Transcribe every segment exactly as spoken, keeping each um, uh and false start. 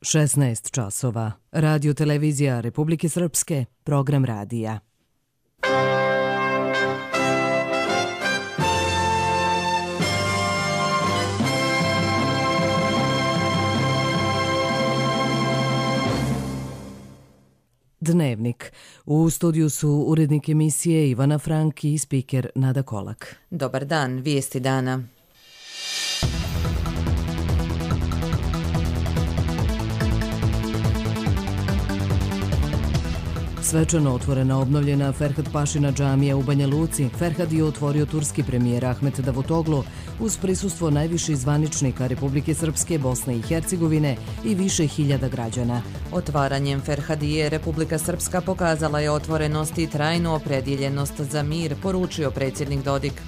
šesnaest časova. Radio televizija Republike Srpske, program radija. Dnevnik. U studiju su urednik emisije Ivana Frank i spiker Nada Kolak. Dobar dan, vijesti dana. Svečano otvorena obnovljena Ferhat Pašina džamija u Banja Luci. Ferhat je otvorio turski premijer Ahmet Davutoglu uz prisustvo najviših zvaničnika Republike Srpske, Bosne i Hercegovine i više hiljada građana. Otvaranjem Ferhadije Republika Srpska pokazala je otvorenost i trajnu opredjeljenost za mir, poručio predsjednik Dodik.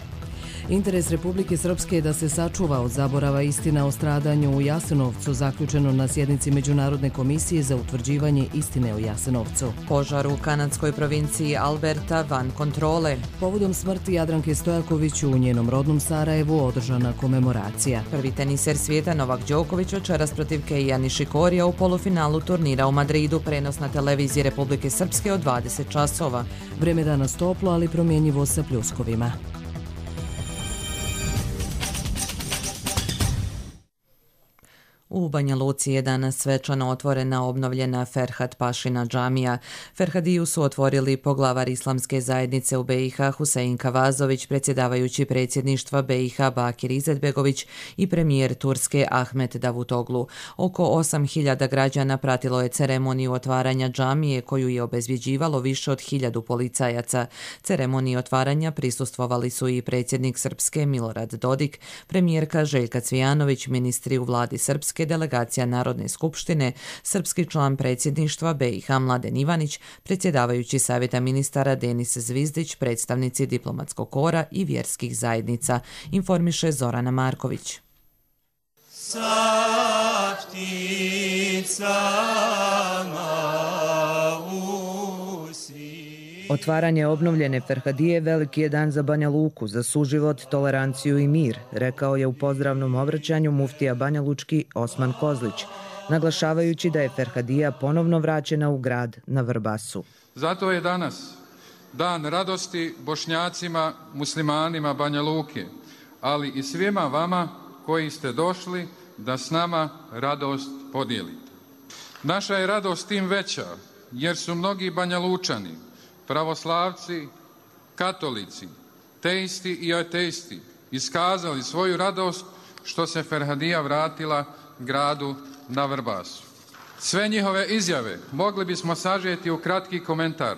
Interes Republike Srpske je da se sačuva od zaborava istina o stradanju u Jasenovcu, zaključeno na sjednici Međunarodne komisije za utvrđivanje istine o Jasenovcu. Požar u kanadskoj provinciji Alberta van kontrole. Povodom smrti Jadranke Stojaković u njenom rodnom Sarajevu održana komemoracija. Prvi teniser svijeta Novak Đoković večeras protiv Keija Nišikorija u polufinalu turnira u Madridu, prenos na televiziji Republike Srpske od dvadeset časova. Vreme danas toplo, ali promjenjivo sa pljuskovima. U Banja Luci je danas svečano otvorena obnovljena Ferhat Pašina džamija. Ferhadiju su otvorili poglavar Islamske zajednice u be i ha Husein Kavazović, predsjedavajući predsjedništva be i ha Bakir Izetbegović i premijer Turske Ahmet Davutoglu. Oko osam hiljada građana pratilo je ceremoniju otvaranja džamije koju je obezbjeđivalo više od hiljadu policajaca. Ceremoniji otvaranja prisustvovali su i predsjednik Srpske Milorad Dodik, premijerka Željka Cvijanović, ministri u vladi Srpske, delegacija Narodne skupštine, srpski član predsjedništva be i ha Mladen Ivanić, predsjedavajući savjeta ministara Denis Zvizdić, predstavnici diplomatskog kora i vjerskih zajednica, informiše Zorana Marković. Otvaranje obnovljene Ferhadije veliki je dan za Banja Luku, za suživot, toleranciju i mir, rekao je u pozdravnom obraćanju muftija Banja Lučki Osman Kozlić, naglašavajući da je Ferhadija ponovno vraćena u grad na Vrbasu. Zato je danas dan radosti Bošnjacima, muslimanima Banja Luke, ali i svima vama koji ste došli da s nama radost podijelite. Naša je radost tim veća jer su mnogi Banja Lučani, pravoslavci, katolici, teisti i ateisti iskazali svoju radost što se Ferhadija vratila gradu na Vrbasu. Sve njihove izjave mogli bismo sažeti u kratki komentar.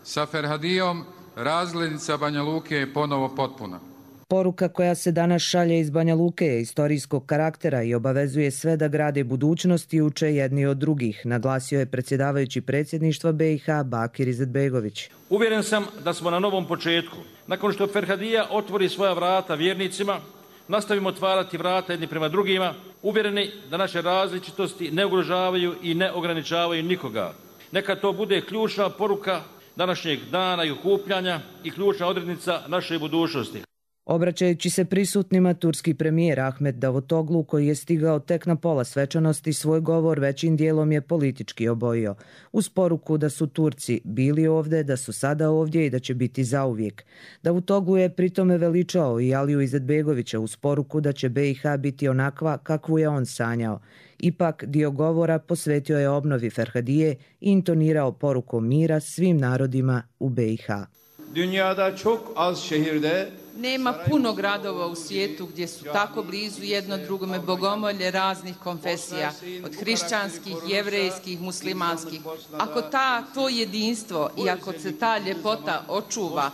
Sa Ferhadijom razglednica Banja Luke je ponovo potpuna. Poruka koja se danas šalje iz Banja Luke je istorijskog karaktera i obavezuje sve da grade budućnost i uče jedni od drugih, naglasio je predsjedavajući predsjedništva be i ha Bakir Izetbegović. Uvjeren sam da smo na novom početku. Nakon što Ferhadija otvori svoja vrata vjernicima, nastavimo otvarati vrata jedni prema drugima, uvjereni da naše različitosti ne ugrožavaju i ne ograničavaju nikoga. Neka to bude ključna poruka današnjeg dana i okupljanja i ključna odrednica naše budućnosti. Obraćajući se prisutnima, turski premijer Ahmet Davutoglu, koji je stigao tek na pola svečanosti, svoj govor većim dijelom je politički obojio, uz poruku da su Turci bili ovdje, da su sada ovdje i da će biti zauvijek. Davutoglu je pritome veličao i Aliju Izetbegovića uz poruku da će be i ha biti onakva kakvu je on sanjao. Ipak dio govora posvetio je obnovi Ferhadije i intonirao poruku mira svim narodima u be i ha. Dünyada çok az şehirde Nema puno gradova u svijetu gdje su tako blizu jedno drugome bogomolje raznih konfesija, od hrišćanskih, jevrejskih, muslimanskih. Ako ta, to jedinstvo i ako se ta ljepota očuva,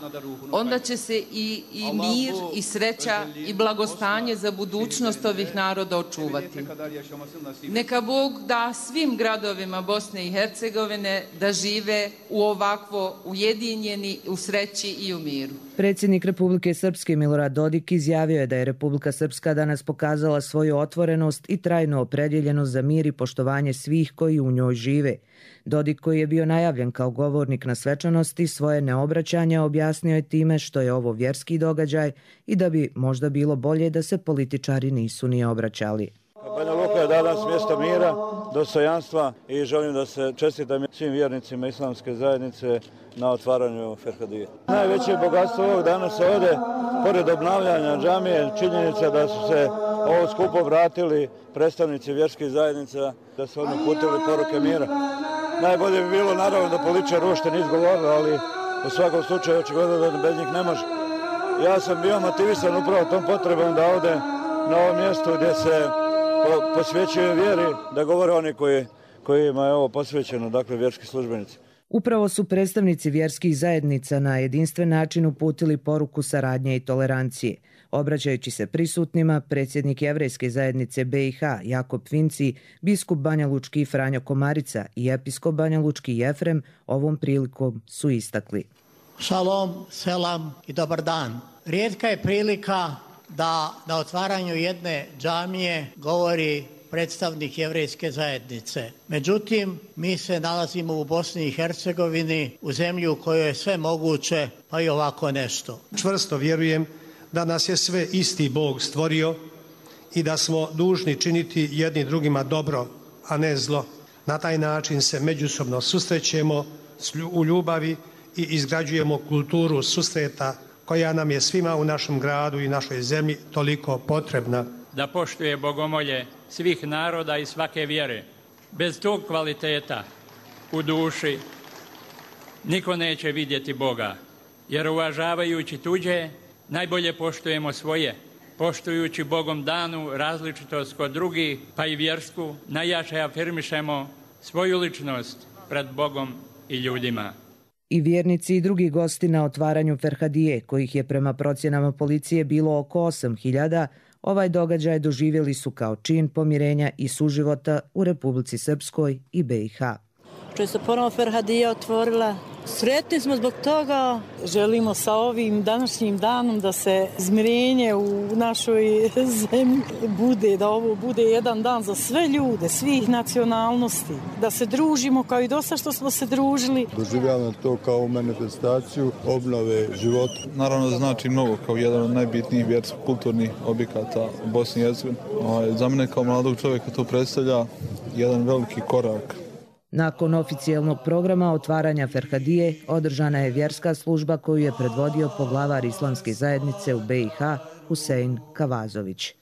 onda će se i, i mir, i sreća, i blagostanje za budućnost ovih naroda očuvati. Neka Bog da svim gradovima Bosne i Hercegovine da žive u ovakvo ujedinjeni, u sreći i u miru. Predsjednik Republike Srpske Milorad Dodik izjavio je da je Republika Srpska danas pokazala svoju otvorenost i trajnu opredjeljenost za mir i poštovanje svih koji u njoj žive. Dodik, koji je bio najavljen kao govornik na svečanosti, svoje neobraćanje objasnio je time što je ovo vjerski događaj i da bi možda bilo bolje da se političari nisu ni obraćali. Banja Luka je danas mjesto mira, dostojanstva i želim da se čestitam svim vjernicima islamske zajednice na otvaranju Ferhadije. Najveće bogatstvo ovog danas ovdje, pored obnavljanja džamije, činjenica da su se ovo skupo vratili predstavnici vjerskih zajednica, da su oni uputili poruke mira. Najbolje bi bilo naravno da političar uopšte nije izgovorili, ali u svakom slučaju očigledno da bez njih ne može. Ja sam bio motivisan upravo tom potrebom da ovdje na ovom mjestu gdje se posvećuje vjeri, da govore oni koji, kojima je ovo posvećeno, dakle vjerski službenici. Upravo su predstavnici vjerskih zajednica na jedinstven način uputili poruku saradnje i tolerancije. Obraćajući se prisutnima, predsjednik Jevrejske zajednice B i H Jakop Vinci, biskup Banjalučki Franjo Komarica i episkop Banjalučki Jefrem ovom prilikom su istakli. Šalom, selam i dobar dan. Rijetka je prilika da na otvaranju jedne džamije govori predstavnik Jevrejske zajednice. Međutim, mi se nalazimo u Bosni i Hercegovini, u zemlji u kojoj je sve moguće, pa i ovako nešto. Čvrsto vjerujem da nas je sve isti Bog stvorio i da smo dužni činiti jedni drugima dobro, a ne zlo. Na taj način se međusobno susrećemo u ljubavi i izgrađujemo kulturu susreta koja nam je svima u našem gradu i našoj zemlji toliko potrebna. Da poštuje bogomolje svih naroda i svake vjere. Bez tog kvaliteta u duši niko neće vidjeti Boga, jer uvažavajući tuđe najbolje poštujemo svoje. Poštujući Bogom danu različitost kod drugih, pa i vjersku, najjače afirmišemo svoju ličnost pred Bogom i ljudima. I vjernici i drugi gosti na otvaranju Ferhadije, kojih je prema procjenama policije bilo oko osam hiljada, ovaj događaj doživjeli su kao čin pomirenja i suživota u Republici Srpskoj i B i H. Što je se ponovo Ferhadija otvorila, sretni smo zbog toga. Želimo sa ovim današnjim danom da se izmirenje u našoj zemlji bude, da ovo bude jedan dan za sve ljude, svih nacionalnosti, da se družimo kao i dosta što smo se družili. Doživljavam to kao manifestaciju obnove života. Naravno da znači mnogo, kao jedan od najbitnijih vjersko-kulturnih objekata u Bosni i Hercegovini. Za mene kao mladog čovjeka to predstavlja jedan veliki korak. Nakon oficijalnog programa otvaranja Ferhadije održana je vjerska služba koju je predvodio poglavar islamske zajednice u B i H Husein Kavazović.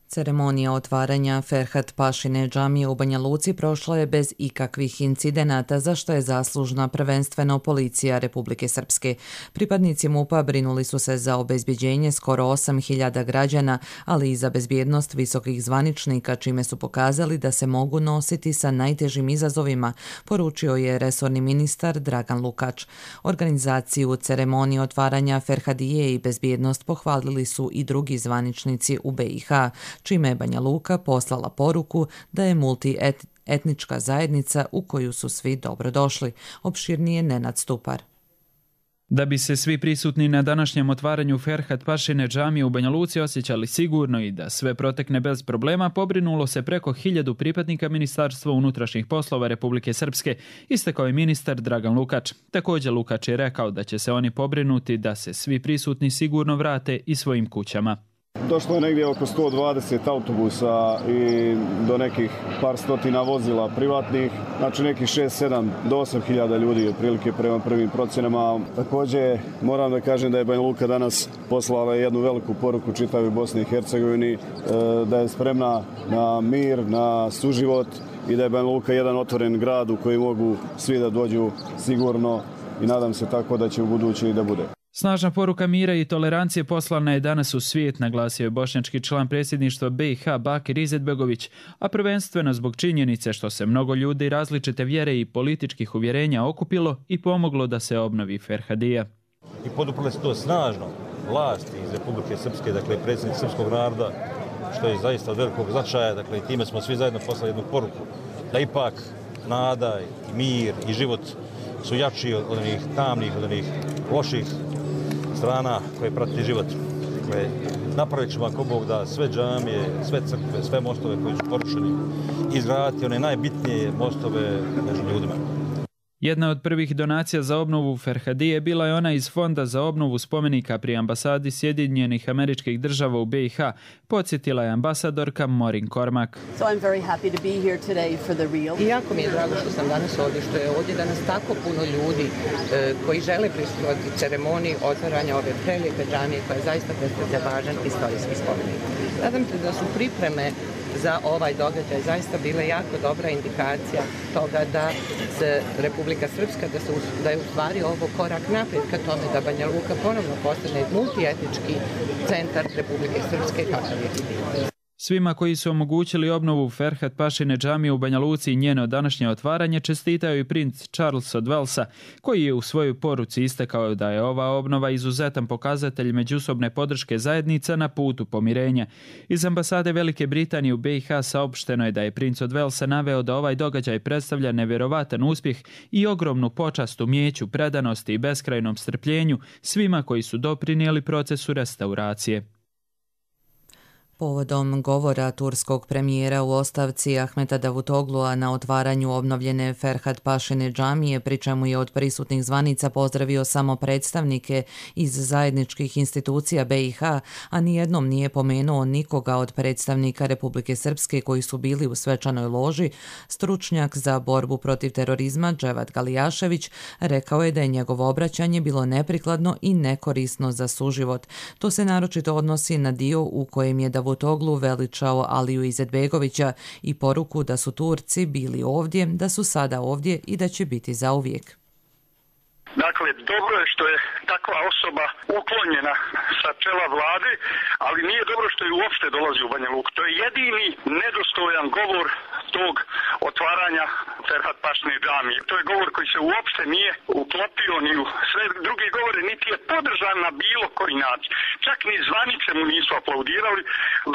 Ceremonija otvaranja Ferhat Pašine džamije u Banja Luci prošla je bez ikakvih incidenata, za što je zaslužna prvenstveno policija Republike Srpske. Pripadnici MUP-a brinuli su se za obezbjeđenje skoro osam hiljada građana, ali i za bezbjednost visokih zvaničnika, čime su pokazali da se mogu nositi sa najtežim izazovima, poručio je resorni ministar Dragan Lukač. Organizaciju ceremonije otvaranja Ferhadije i bezbjednost pohvalili su i drugi zvaničnici u B i H, čime je Banja Luka poslala poruku da je multietnička zajednica u koju su svi dobrodošli. Opširnije Nenad Stupar. Da bi se svi prisutni na današnjem otvaranju Ferhat Pašine džamije u Banja Luci osjećali sigurno i da sve protekne bez problema, pobrinulo se preko hiljadu pripadnika Ministarstva unutrašnjih poslova Republike Srpske, istakao je ministar Dragan Lukač. Također Lukač je rekao da će se oni pobrinuti da se svi prisutni sigurno vrate i svojim kućama. Došlo je negdje oko sto dvadeset autobusa i do nekih par stotina vozila privatnih, znači nekih šest, sedam do osam hiljada ljudi otprilike prema prvim procjenama. Također moram da kažem da je Banja Luka danas poslala jednu veliku poruku čitavoj Bosni i Hercegovini, da je spremna na mir, na suživot i da je Banja Luka jedan otvoren grad u koji mogu svi da dođu sigurno i nadam se tako da će u budući i da bude. Snažna poruka mira i tolerancije poslana je danas u svijet, naglasio je bošnjački član predsjedništva B i H Bakir Izetbegović, a prvenstveno zbog činjenice što se mnogo ljudi različite vjere i političkih uvjerenja okupilo i pomoglo da se obnovi Ferhadija. I poduprli se to snažno vlasti iz Republike Srpske, dakle predsjednik srpskog naroda, što je zaista od velikog značaja, dakle i time smo svi zajedno poslali jednu poruku da ipak nada i mir i život su jači od onih tamnih, od onih loših strana koje prati život. Dakle, napravit ćemo ako Bog da sve džamije, sve crkve, sve mostove koji su porušeni, izgraditi one najbitnije mostove među ljudima. Jedna od prvih donacija za obnovu Ferhadije bila je ona iz Fonda za obnovu spomenika pri ambasadi Sjedinjenih Američkih Država u B i H, podsjetila je ambasadorka Maureen Cormack. So I'm very happy to be here today for the real. I jako mi je drago što sam danas ovdje, što je ovdje danas tako puno ljudi e, koji žele prisustvovati ceremoniji otvaranja ove prelijepe džamije koja zaista predstavlja važan istorijski spomenik. Nadam se da su pripreme za ovaj događaj zaista bile jako dobra indikacija toga da se Republika Srpska, da, se, da je u stvari ovo korak naprijed ka tome da Banja Luka ponovno postane multietnički centar Republike Srpske kakav je bio. Svima koji su omogućili obnovu Ferhat Pašine džamije u Banja Luci i njeno današnje otvaranje čestitao i princ Charles od Walesa, koji je u svojoj poruci istakao da je ova obnova izuzetan pokazatelj međusobne podrške zajednica na putu pomirenja. Iz ambasade Velike Britanije u B i H saopšteno je da je princ od Walesa naveo da ovaj događaj predstavlja nevjerovatan uspjeh i ogromnu počast umijeću, predanosti i beskrajnom strpljenju svima koji su doprinijeli procesu restauracije. Povodom govora turskog premijera u ostavci Ahmeta Davutoglua na otvaranju obnovljene Ferhat Pašine džamije, pri čemu je od prisutnih zvanica pozdravio samo predstavnike iz zajedničkih institucija B i H, a nijednom nije pomenuo nikoga od predstavnika Republike Srpske koji su bili u svečanoj loži, stručnjak za borbu protiv terorizma Dževat Galijašević rekao je da je njegovo obraćanje bilo neprikladno i nekorisno za suživot. To se naročito odnosi na dio u kojem je Davutoglu veličao Aliju Izetbegovića i poruku da su Turci bili ovdje, da su sada ovdje i da će biti zauvijek. Dakle, dobro je što je takva osoba uklonjena sa čela vlade, ali nije dobro što je uopšte dolazi u Banja Luku. To je jedini nedostojan govor tog otvaranja Ferhat Pašine džamije. To je govor koji se uopšte nije uklopio ni u sve druge govore, niti je podržan na bilo koji način. Čak ni zvanice mu nisu aplaudirali.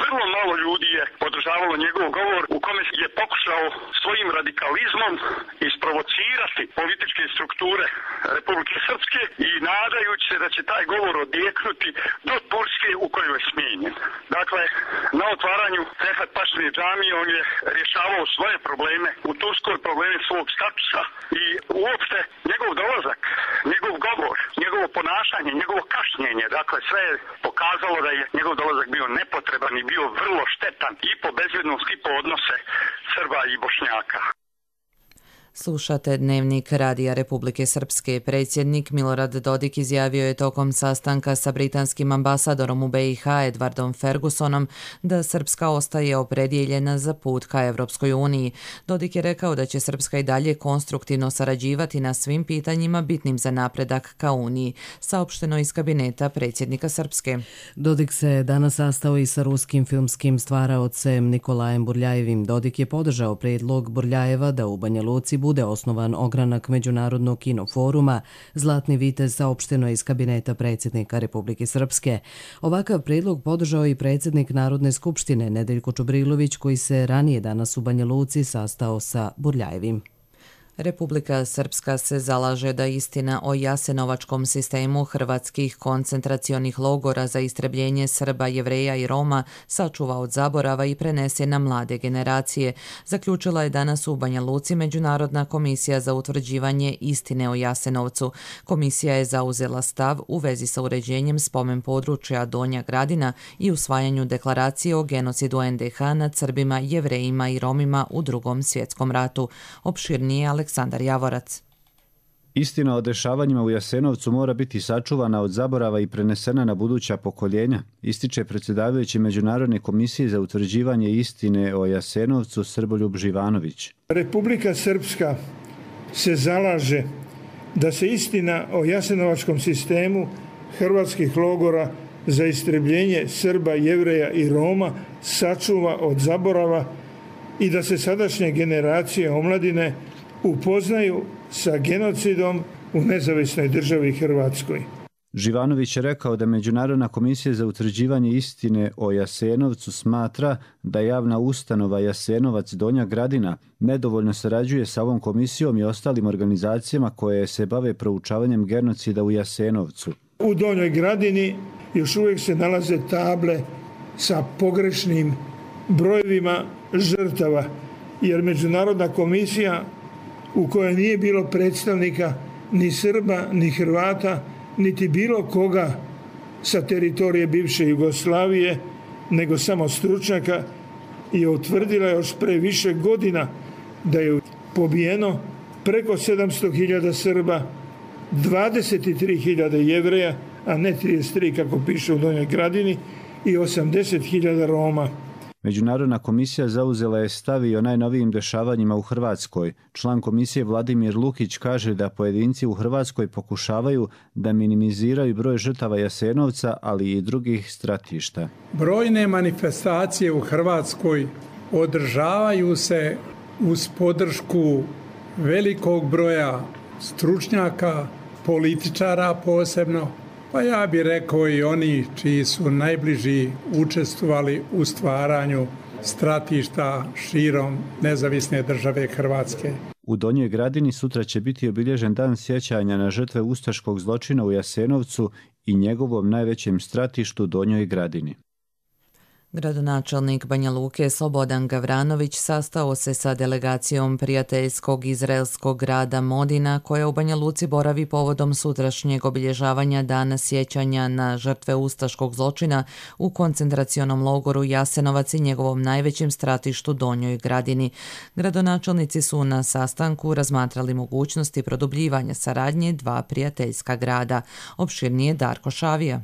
Vrlo malo ljudi je podržavalo njegov govor u kome je pokušao svojim radikalizmom isprovocirati političke strukture Republike Srpske i nadajući se da će taj govor odjeknuti do Turske u kojoj je smijenjen. Dakle, na otvaranju Ferhat Pašine džamije on je rješavao svoje probleme u Turskoj, probleme svog statusa i uopšte njegov dolazak, njegov govor, njegovo ponašanje, njegovo kašnjenje, dakle sve je pokazalo da je njegov dolazak bio nepotreban i bio vrlo štetan i po bezbednost i po odnose Srba i Bošnjaka. Slušate Dnevnik Radija Republike Srpske. Predsjednik Milorad Dodik izjavio je tokom sastanka sa britanskim ambasadorom u B i H Edwardom Fergusonom da Srpska ostaje opredjeljena za put ka Evropskoj uniji. Dodik je rekao da će Srpska i dalje konstruktivno sarađivati na svim pitanjima bitnim za napredak ka Uniji, saopšteno iz kabineta predsjednika Srpske. Dodik se danas sastao i sa ruskim filmskim stvaraocem Nikolajem Burljajevim. Dodik je podržao prijedlog Burljajeva da u Banja Luci bude osnovan ogranak Međunarodnog kinoforuma Zlatni vitez, saopšteno iz kabineta predsjednika Republike Srpske. Ovakav prijedlog podržao i predsjednik Narodne skupštine Nedeljko Čubrilović, koji se ranije danas u Banja Luci sastao sa Burljajevim. Republika Srpska se zalaže da istina o jasenovačkom sistemu hrvatskih koncentracionih logora za istrebljenje Srba, Jevreja i Roma sačuva od zaborava i prenese na mlade generacije, zaključila je danas u Banja Luci Međunarodna komisija za utvrđivanje istine o Jasenovcu. Komisija je zauzela stav u vezi sa uređenjem spomen područja Donja Gradina i usvajanju deklaracije o genocidu N D H nad Srbima, Jevrejima i Romima u Drugom svjetskom ratu. Opširnije Aleksandar Javorac. Istina o dešavanjima u Jasenovcu mora biti sačuvana od zaborava i prenesena na buduća pokoljenja, ističe predsjedavajući Međunarodne komisije za utvrđivanje istine o Jasenovcu Srboljub Živanović. Republika Srpska se zalaže da se istina o jasenovačkom sistemu hrvatskih logora za istrebljenje Srba, Jevreja i Roma sačuva od zaborava i da se sadašnje generacije omladine upoznaju sa genocidom u nezavisnoj državi Hrvatskoj. Živanović je rekao da Međunarodna komisija za utvrđivanje istine o Jasenovcu smatra da javna ustanova Jasenovac Donja Gradina nedovoljno sarađuje sa ovom komisijom i ostalim organizacijama koje se bave proučavanjem genocida u Jasenovcu. U Donjoj Gradini još uvijek se nalaze table sa pogrešnim brojevima žrtava, jer Međunarodna komisija u kojoj nije bilo predstavnika ni Srba, ni Hrvata, niti bilo koga sa teritorije bivše Jugoslavije, nego samo stručnjaka, i utvrdila još pre više godina da je pobijeno preko sedamsto hiljada Srba, dvadeset tri hiljade Jevreja, a ne trideset tri kako piše u Donjoj Gradini, i osamdeset hiljada Roma. Međunarodna komisija zauzela je stav i o najnovijim dešavanjima u Hrvatskoj. Član komisije Vladimir Lukić kaže da pojedinci u Hrvatskoj pokušavaju da minimiziraju broj žrtava Jasenovca, ali i drugih stratišta. Brojne manifestacije u Hrvatskoj održavaju se uz podršku velikog broja stručnjaka, političara posebno, pa ja bih rekao i oni čiji su najbliži učestvovali u stvaranju stratišta širom nezavisne države Hrvatske. U Donjoj Gradini sutra će biti obilježen dan sjećanja na žrtve ustaškog zločina u Jasenovcu i njegovom najvećem stratištu Donjoj Gradini. Gradonačelnik Banja Luke Slobodan Gavranović sastao se sa delegacijom prijateljskog izraelskog grada Modina, koja u Banja Luci boravi povodom sutrašnjeg obilježavanja dana sjećanja na žrtve ustaškog zločina u koncentracionom logoru Jasenovac i njegovom najvećem stratištu Donjoj Gradini. Gradonačelnici su na sastanku razmatrali mogućnosti produbljivanja saradnje dva prijateljska grada. Opširnije Darko Šavija.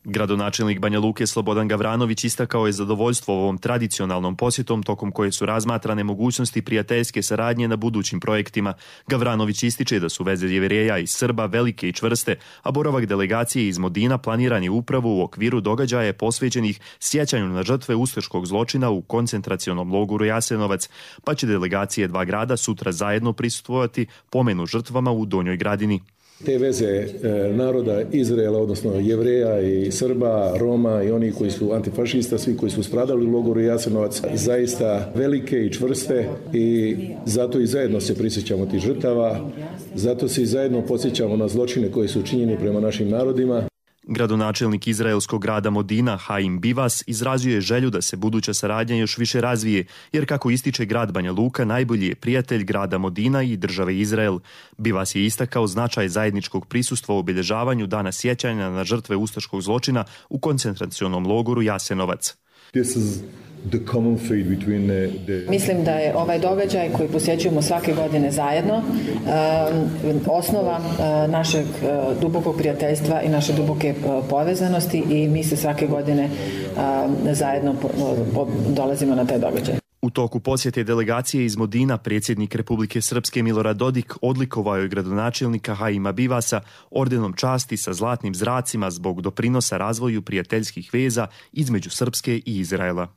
Gradonačelnik Banja Luke Slobodan Gavranović istakao je zadovoljstvo ovom tradicionalnom posjetom tokom koje su razmatrane mogućnosti prijateljske saradnje na budućim projektima. Gavranović ističe da su veze Jevreja i Srba velike i čvrste, a boravak delegacije iz Modina planiran je upravo u okviru događaja posvećenih sjećanju na žrtve ustaškog zločina u koncentracionom logoru Jasenovac, pa će delegacije dva grada sutra zajedno prisustvovati pomenu žrtvama u Donjoj Gradini. Te veze e, naroda Izraela, odnosno Jevreja i Srba, Roma i oni koji su antifašista, svi koji su stradali u logoru Jasenovac, zaista velike i čvrste, i zato i zajedno se prisjećamo tih žrtava, zato se i zajedno podsjećamo na zločine koji su učinjeni prema našim narodima. Gradonačelnik izraelskog grada Modina Haim Bivas izrazio je želju da se buduća saradnja još više razvije, jer kako ističe grad Banja Luka najbolji je prijatelj grada Modina i države Izrael. Bivas je istakao značaj zajedničkog prisustva u obilježavanju dana sjećanja na žrtve ustaškog zločina u koncentracionom logoru Jasenovac. This is the common fate between the, the... Mislim da je ovaj događaj koji posjećujemo svake godine zajedno um, osnova uh, našeg uh, dubokog prijateljstva i naše duboke uh, povezanosti, i mi se svake godine uh, zajedno po, po, dolazimo na taj događaj. U toku posjete delegacije iz Modina predsjednik Republike Srpske Milorad Dodik odlikovao je gradonačelnika Haima Bivasa ordenom časti sa zlatnim zracima zbog doprinosa razvoju prijateljskih veza između Srpske i Izraela.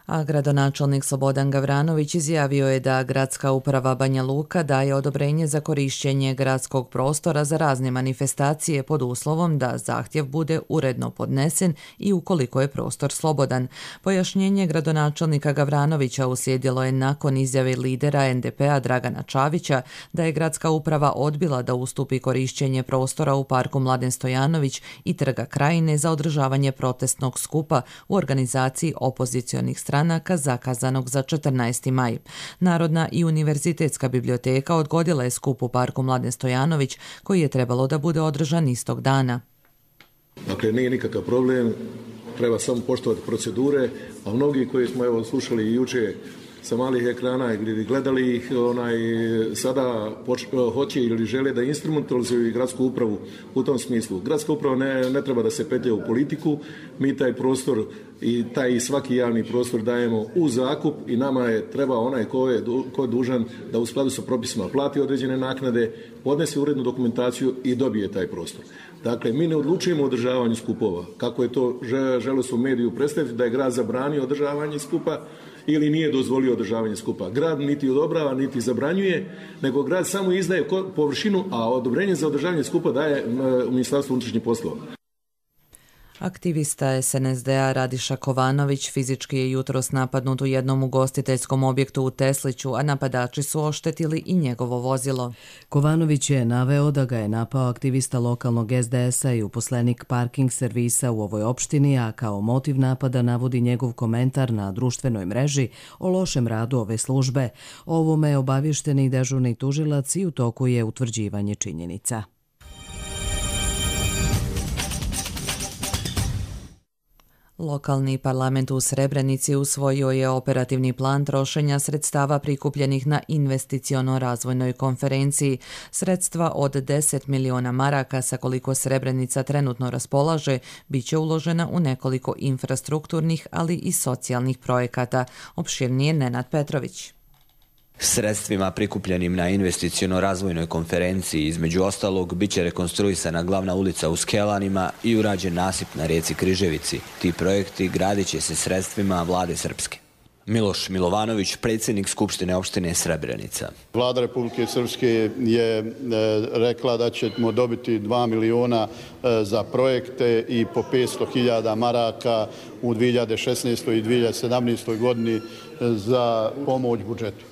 A gradonačelnik Slobodan Gavranović izjavio je da gradska uprava Banja Luka daje odobrenje za korištenje gradskog prostora za razne manifestacije pod uslovom da zahtjev bude uredno podnesen i ukoliko je prostor slobodan. Pojašnjenje gradonačelnika Gavranovića uslijedilo je nakon izjave lidera en de pe a Dragana Čavića da je gradska uprava odbila da ustupi korištenje prostora u parku Mladen Stojanović i Trga Krajine za održavanje protestnog skupa u organizaciji opozicionih strana zakazanog za četrnaesti maj. Narodna i univerzitetska biblioteka odgodila je skup u parku Mladen Stojanović, koji je trebalo da bude održan istog dana. Dakle, nije nikakav problem, treba samo poštovati procedure, a mnogi koji smo evo slušali i juče sa malih ekrana ili gledali ih, onaj, sada poč, hoće ili žele da instrumentalizuju i gradsku upravu u tom smislu. Gradska uprava ne, ne treba da se petlja u politiku, mi taj prostor i taj svaki javni prostor dajemo u zakup i nama je treba onaj ko je, ko je dužan da u skladu sa propisima plati određene naknade, podnese urednu dokumentaciju i dobije taj prostor. Dakle, mi ne odlučujemo o održavanju skupova, kako je to želo su u mediju predstaviti da je grad zabranio održavanje skupa ili nije dozvolio održavanje skupa. Grad niti odobrava, niti zabranjuje, nego grad samo izdaje površinu, a odobrenje za održavanje skupa daje u Ministarstvu unutrašnjih poslova. Aktivista es en es de a Radiša Kovanović fizički je jutros napadnut u jednom ugostiteljskom objektu u Tesliću, a napadači su oštetili i njegovo vozilo. Kovanović je naveo da ga je napao aktivista lokalnog es de es a i uposlenik parking servisa u ovoj opštini, a kao motiv napada navodi njegov komentar na društvenoj mreži o lošem radu ove službe. O ovome je obavješteni dežurni tužilac i u toku je utvrđivanje činjenica. Lokalni parlament u Srebrenici usvojio je operativni plan trošenja sredstava prikupljenih na investiciono-razvojnoj konferenciji. Sredstva od deset miliona maraka, sa koliko Srebrenica trenutno raspolaže, bit će uložena u nekoliko infrastrukturnih, ali i socijalnih projekata. Opširnije Nenad Petrović. Sredstvima prikupljenim na investiciono-razvojnoj konferenciji između ostalog bit će rekonstruisana glavna ulica u Skelanima i urađen nasip na rijeci Križevici. Ti projekti gradit će se sredstvima vlade Srpske. Miloš Milovanović, predsjednik Skupštine opštine Srebrenica. Vlada Republike Srpske je rekla da ćemo dobiti dva miliona za projekte i po petsto hiljada maraka u dvije hiljade šesnaestoj i dvije hiljade sedamnaestoj godini za pomoć budžetu.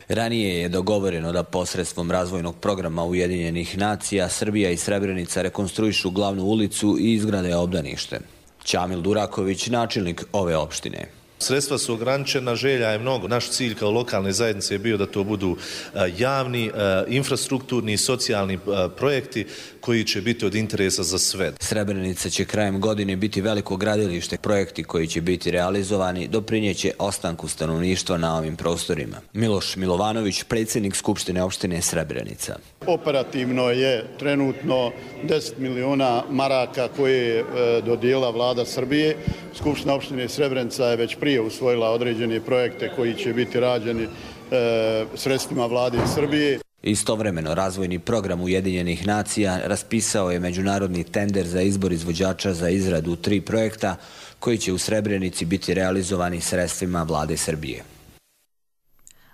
Ranije je dogovoreno da posredstvom razvojnog programa Ujedinjenih nacija Srbija i Srebrenica rekonstruišu glavnu ulicu i izgrade obdanište. Ćamil Duraković, načelnik ove opštine. Sredstva su ograničena, želja je mnogo. Naš cilj kao lokalne zajednice je bio da to budu javni, infrastrukturni i socijalni projekti koji će biti od interesa za sve. Srebrenica će krajem godine biti veliko gradilište. Projekti koji će biti realizovani doprinjeće ostanku stanovništva na ovim prostorima. Miloš Milovanović, predsjednik Skupštine opštine Srebrenica. Operativno je trenutno deset miliona maraka koje je dodijelila vlada Srbije. Skupština opštine Srebrenica je već prije usvojila određene projekte koji će biti rađeni e, sredstvima vlade Srbije. Istovremeno, razvojni program Ujedinjenih nacija raspisao je međunarodni tender za izbor izvođača za izradu tri projekta koji će u Srebrenici biti realizovani sredstvima vlade Srbije.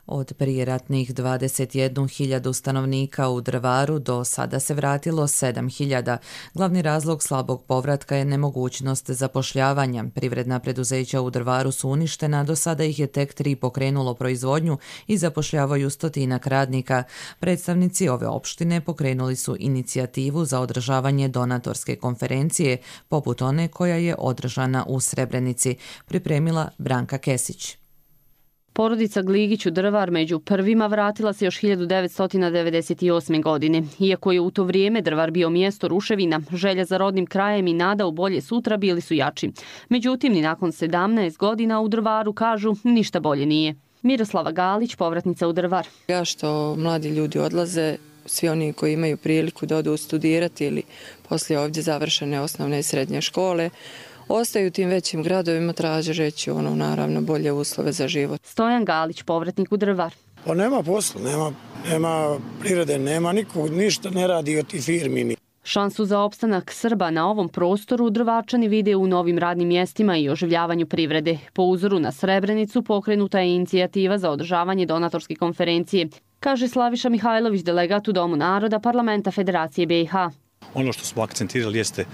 Od prijeratnih dvadeset jednu hiljadu stanovnika u Drvaru do sada se vratilo sedam hiljada. Glavni razlog slabog povratka je nemogućnost zapošljavanja. Privredna preduzeća u Drvaru su uništena, do sada ih je tek tri pokrenulo proizvodnju i zapošljavaju stotinak radnika. Predstavnici ove opštine pokrenuli su inicijativu za održavanje donatorske konferencije, poput one koja je održana u Srebrenici, pripremila Branka Kesić. Porodica Gligić u Drvar među prvima vratila se još hiljadu devetsto devedeset osme. godine. Iako je u to vrijeme Drvar bio mjesto ruševina, želja za rodnim krajem i nada u bolje sutra bili su jači. Međutim, ni nakon sedamnaest godina u Drvaru, kažu, ništa bolje nije. Miroslava Galić, povratnica u Drvar. Ja što mladi ljudi odlaze, svi oni koji imaju priliku da odu studirati ili poslije ovdje završene osnovne i srednje škole, ostaju u tim većim gradovima, tražeći ono, naravno, bolje uslove za život. Stojan Galić, povratnik u Drvar. Pa nema posla, nema, nema prirode, nema nikog, ništa ne radi od tih firmi. Šansu za opstanak Srba na ovom prostoru Drvačani vide u novim radnim mjestima i oživljavanju privrede. Po uzoru na Srebrenicu pokrenuta je inicijativa za održavanje donatorske konferencije, kaže Slaviša Mihajlović, delegat u Domu naroda Parlamenta Federacije be i ha. Ono što smo akcentirali jeste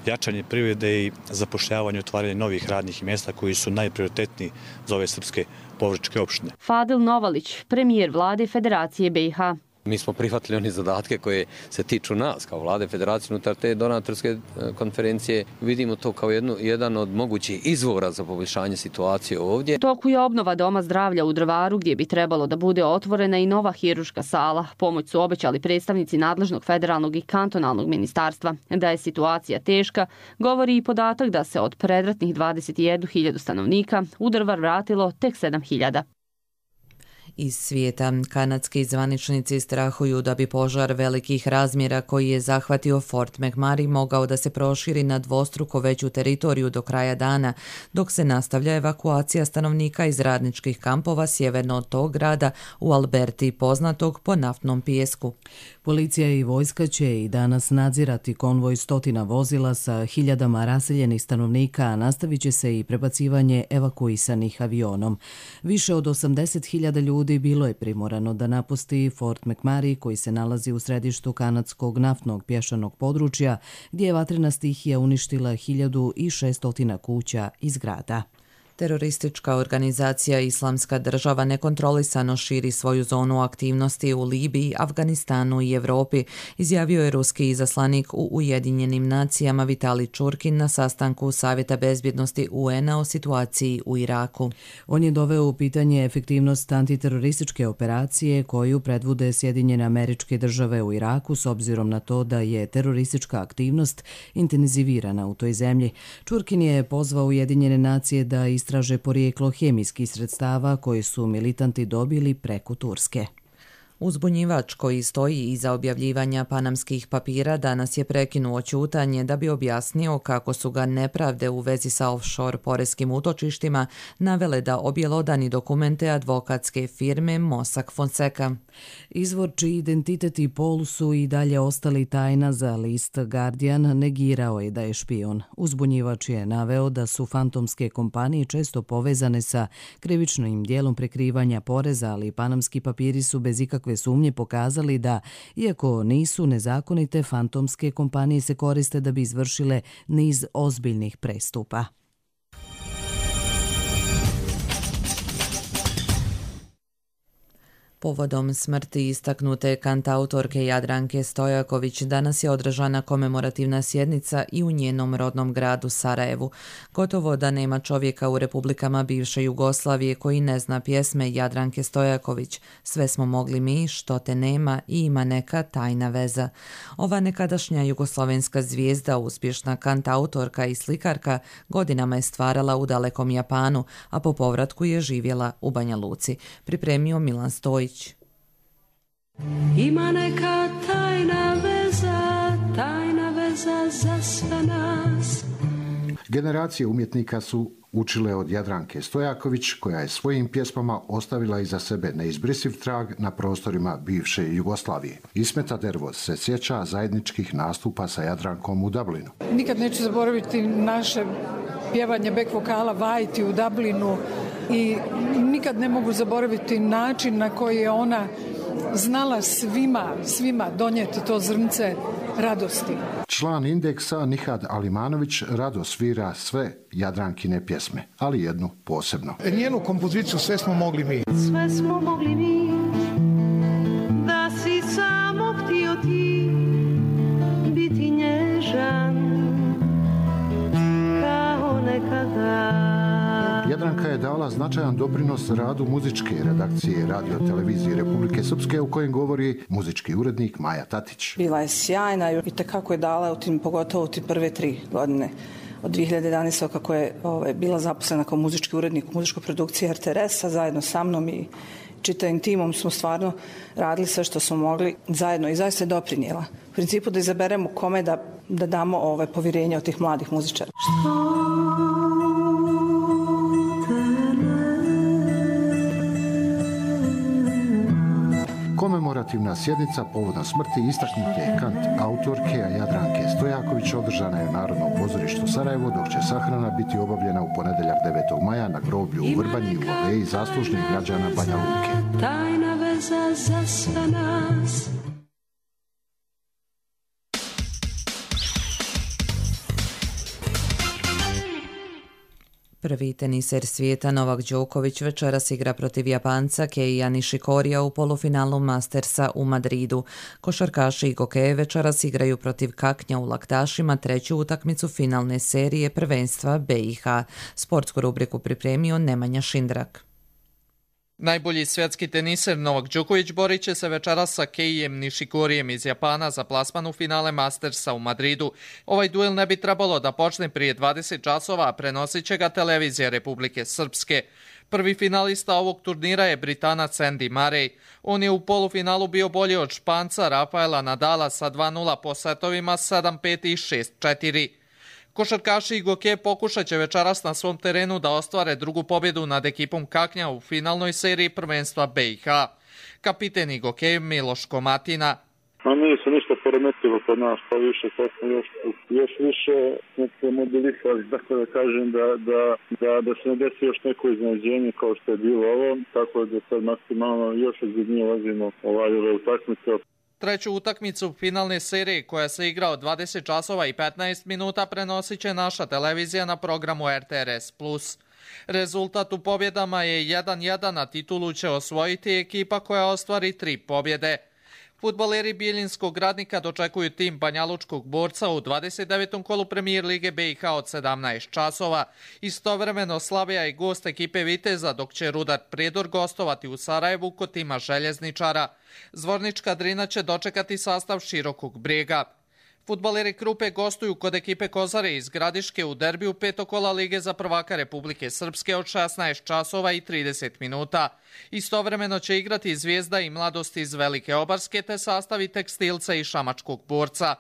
jačanje privrede i zapošljavanje i otvaranje novih radnih mjesta koji su najprioritetniji za ove srpske povraćke opštine. Fadil Novalić, premijer vlade Federacije be i ha. Mi smo prihvatili one zadatke koje se tiču nas kao vlade federacije unutar te donatorske konferencije. Vidimo to kao jednu, jedan od mogućih izvora za poboljšanje situacije ovdje. U toku je obnova Doma zdravlja u Drvaru gdje bi trebalo da bude otvorena i nova hiruška sala. Pomoć su obećali predstavnici nadležnog federalnog i kantonalnog ministarstva. Da je situacija teška, govori i podatak da se od predratnih dvadeset jednu hiljadu stanovnika u Drvar vratilo tek sedam hiljada. Iz svijeta, kanadski zvaničnici strahuju da bi požar velikih razmjera koji je zahvatio Fort McMurray mogao da se proširi na dvostruko veću teritoriju do kraja dana, dok se nastavlja evakuacija stanovnika iz radničkih kampova sjeverno od tog grada u Alberti, poznatog po naftnom pijesku. Policija i vojska će i danas nadzirati konvoj stotina vozila sa hiljadama raseljenih stanovnika, a nastavit će se i prebacivanje evakuisanih avionom. Više od osamdeset hiljada ljudi ljudi bilo je primorano da napusti Fort McMurray koji se nalazi u središtu kanadskog naftnog pješanog područja gdje je vatrena stihija uništila hiljadu šesto kuća i zgrada. Teroristička organizacija Islamska država nekontrolisano širi svoju zonu aktivnosti u Libiji, Afganistanu i Europi, izjavio je ruski izaslanik u Ujedinjenim nacijama Vitali Čurkin na sastanku Savjeta bezbjednosti U N A o situaciji u Iraku. On je doveo u pitanje efektivnost antiterorističke operacije koju predvode Sjedinjene Američke Države u Iraku s obzirom na to da je teroristička aktivnost intenzivirana u toj zemlji. Čurkin je pozvao Ujedinjene nacije da istraže porijeklo hemijskih sredstava koje su militanti dobili preko Turske. Uzbunjivač koji stoji iza objavljivanja panamskih papira danas je prekinuo ćutanje da bi objasnio kako su ga nepravde u vezi sa offshore poreskim utočištima navele da objelodani dokumente advokatske firme Mossack Fonseca. Izvor čiji identitet i pol su i dalje ostali tajna za list Guardian negirao je da je špion. Uzbunjivač je naveo da su fantomske kompanije često povezane sa krivičnim dijelom prekrivanja poreza, ali panamski papiri su bez ikakve sumnje pokazali da, iako nisu nezakonite, fantomske kompanije se koriste da bi izvršile niz ozbiljnih prestupa. Povodom smrti istaknute kantautorke Jadranke Stojaković danas je održana komemorativna sjednica i u njenom rodnom gradu Sarajevu. Gotovo da nema čovjeka u republikama bivše Jugoslavije koji ne zna pjesme Jadranke Stojaković. Sve smo mogli mi, što te nema i ima neka tajna veza. Ova nekadašnja jugoslavenska zvijezda, uspješna kantautorka i slikarka, godinama je stvarala u dalekom Japanu, a po povratku je živjela u Banja Luci. Pripremio Milan Stojić. Ima neka tajna veza, tajna veza za sve nas. Generacije umjetnika su učile od Jadranke Stojaković, koja je svojim pjesmama ostavila iza sebe neizbrisiv trag na prostorima bivše Jugoslavije. Ismeta Dervoz se sjeća zajedničkih nastupa sa Jadrankom u Dublinu. Nikad neću zaboraviti naše pjevanje back vokala Vajti u Dublinu i nikad ne mogu zaboraviti način na koji je ona znala svima, svima donijeti to zrnce radosti. Član Indeksa Nihad Alimanović rado svira sve Jadrankine pjesme, ali jednu posebno. Njenu kompoziciju Sve smo mogli mi. Sve smo mogli mi, da si samo htio ti biti nježan kao nekada. Jadranka je dala značajan doprinos radu muzičke redakcije Radio Televizije Republike Srpske, u kojem govori muzički urednik Maja Tatić. Bila je sjajna i tekako je dala u tim, pogotovo u tim prve tri godine. Od dvije hiljade jedanaeste. kako je ovaj, bila zaposlena kao muzički urednik u muzičkoj produkciji R T R S-a, zajedno sa mnom i čitavim timom smo stvarno radili sve što smo mogli zajedno i zaista je doprinijela. U principu da izaberemo kome da, da damo ovaj, povjerenje od tih mladih muzičara. Komemorativna sjednica povodom smrti istaknute kant autorke Jadranke Stojaković održana je u Narodnom pozorištu Sarajevo, dok će sahrana biti obavljena u ponedjeljak devetog maja na groblju u Vrbanji u aleji zaslužnih građana Banja Luke. Tajna veza za sve nas. Prvi teniser svijeta Novak Đoković večeras igra protiv Japanca Keija Nishikorija u polufinalu Mastersa u Madridu. Košarkaši i gokeje večeras igraju protiv Kaknja u Laktašima treću utakmicu finalne serije prvenstva B i H. Sportsku rubriku pripremio Nemanja Šindrak. Najbolji svjetski teniser Novak Đoković borit će se večeras sa Keijem Nishikorijem iz Japana za plasman u finale Mastersa u Madridu. Ovaj duel ne bi trebalo da počne prije dvadeset časova, a prenosit će ga televizija Republike Srpske. Prvi finalista ovog turnira je Britanac Andy Murray. On je u polufinalu bio bolji od Španca Rafaela Nadala sa dva nula po setovima sedam pet i šest četiri. Košarkaši i gokeje pokušat će večeras na svom terenu da ostvare drugu pobjedu nad ekipom Kaknja u finalnoj seriji prvenstva B i H. Kapiten i gokej Miloš Komatina. A nije se ništa poremetilo kod nas, pa više sad smo još, još više smo mobilisali, tako da kažem da, da, da, da se ne desi još neko iznenađenje kao što je bilo ovo, tako da sad maksimalno još ozbiljnije ulazimo ovaj ove utakmice. Treću utakmicu finalne serije koja se igra od dvadeset časova i petnaest minuta prenosit će naša televizija na programu R T R S plus. Rezultat u pobjedama je jedan jedan, a titulu će osvojiti ekipa koja ostvari tri pobjede. Fudbaleri Bijeljinskog Radnika dočekuju tim Banjalučkog Borca u dvadeset devetom kolu Premijer Lige B i H od sedamnaest časova. Istovremeno Slavija je gost ekipe Viteza, dok će Rudar Prijedor gostovati u Sarajevu kod tima Željezničara. Zvornička Drina će dočekati sastav Širokog Brijega. Fudbaleri Krupe gostuju kod ekipe Kozare iz Gradiške u derbiju petog kola Lige za prvaka Republike Srpske od šesnaest časova i trideset minuta. Istovremeno će igrati Zvijezda i Mladost iz Velike Obarske te sastavi Tekstilca i Šamačkog Borca.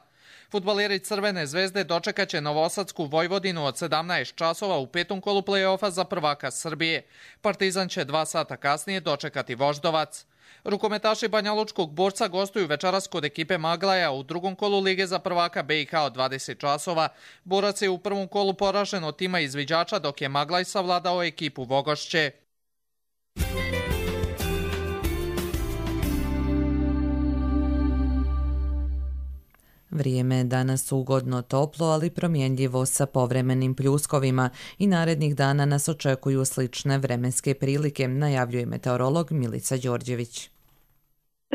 Fudbaleri Crvene zvezde dočekat će Novosadsku Vojvodinu od sedamnaest časova u petom kolu play-offa za prvaka Srbije. Partizan će dva sata kasnije dočekati Voždovac. Rukometaši Banjalučkog Borca gostuju večeras kod ekipe Maglaja u drugom kolu Lige za prvaka B i H od dvadeset časova. Borac je u prvom kolu poražen od tima izviđača, dok je Maglaj savladao ekipu Vogošće. Vrijeme je danas ugodno toplo, ali promjenljivo sa povremenim pljuskovima i narednih dana nas očekuju slične vremenske prilike, najavljuje meteorolog Milica Đorđević.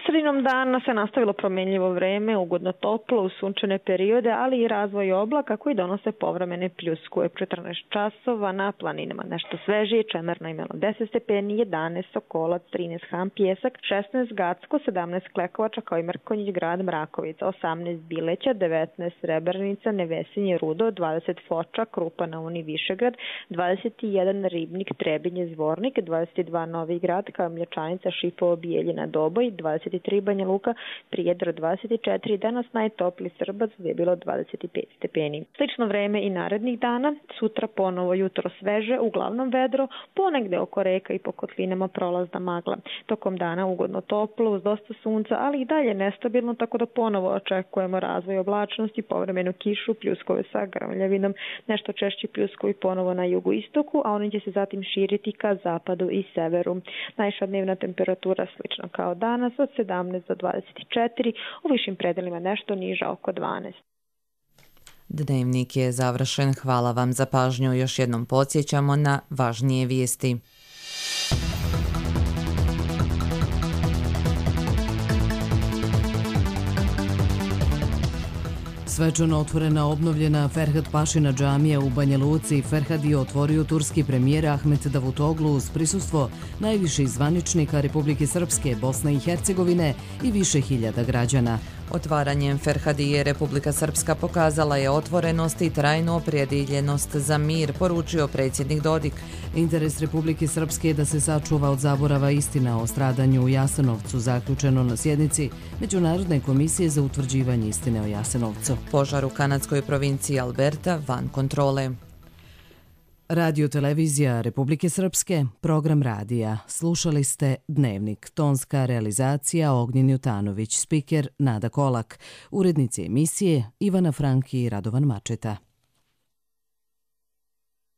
Sredinom dana se nastavilo promjenljivo vreme, ugodno toplo, u sunčane periode, ali i razvoj oblaka koji donose povremene pljuskuje. četrnaest časova na planinama nešto svežije, Čemerno imalo deset stepeni, jedanaest Sokolac, trinaest Ham Pjesak, šesnaest Gacko, sedamnaest Klekovača kao i Mrkonjić Grad Mrakovica, osamnaest Bileća, devetnaest Srebrnica, Nevesinje Rudo, dvadeset Foča, Krupa na Uni Višegrad, dvadeset jedan Ribnik, Trebinje Zvornik, dvadeset dva Novi Grad kao Mlječanica, Šipovo, Bijeljina, Doboj, dvadeset tri Banja Luka, Prijedor dvadeset četiri, danas najtopli Srbac gdje je bilo dvadeset pet stepeni. Slično vreme i narednih dana, sutra ponovo jutro sveže, uglavnom vedro, ponegde oko reka i po kotlinama prolazna magla. Tokom dana ugodno toplo, uz dosta sunca, ali i dalje nestabilno, tako da ponovo očekujemo razvoj oblačnosti, povremenu kišu, pljuskove sa grmljavinom, nešto češći pljuskovi ponovo na jugu istoku, a oni će se zatim širiti ka zapadu i severu. Najviša dnevna temperatura slično kao danas, od sedamnaest do dvadeset četiri, u višim predelima nešto niža oko dvanaest. Dnevnik je završen. Hvala vam za pažnju. Još jednom podsjećamo na važnije vijesti. Svečano otvorena obnovljena Ferhat Pašina džamija u Banja Luci. Ferhat je otvorio turski premijer Ahmet Davutoglu uz prisustvo najviših zvaničnika Republike Srpske, Bosne i Hercegovine i više hiljada građana. Otvaranjem Ferhadije Republika Srpska pokazala je otvorenost i trajnu opredjeljenost za mir, poručio predsjednik Dodik. Interes Republike Srpske je da se sačuva od zaborava istina o stradanju u Jasenovcu, zaključeno na sjednici Međunarodne komisije za utvrđivanje istine o Jasenovcu. Požar u kanadskoj provinciji Alberta van kontrole. Radio televizija Republike Srpske, program radija. Slušali ste Dnevnik, tonska realizacija Ognjen Jutanović, spiker Nada Kolak, urednici emisije Ivana Franki i Radovan Mačeta.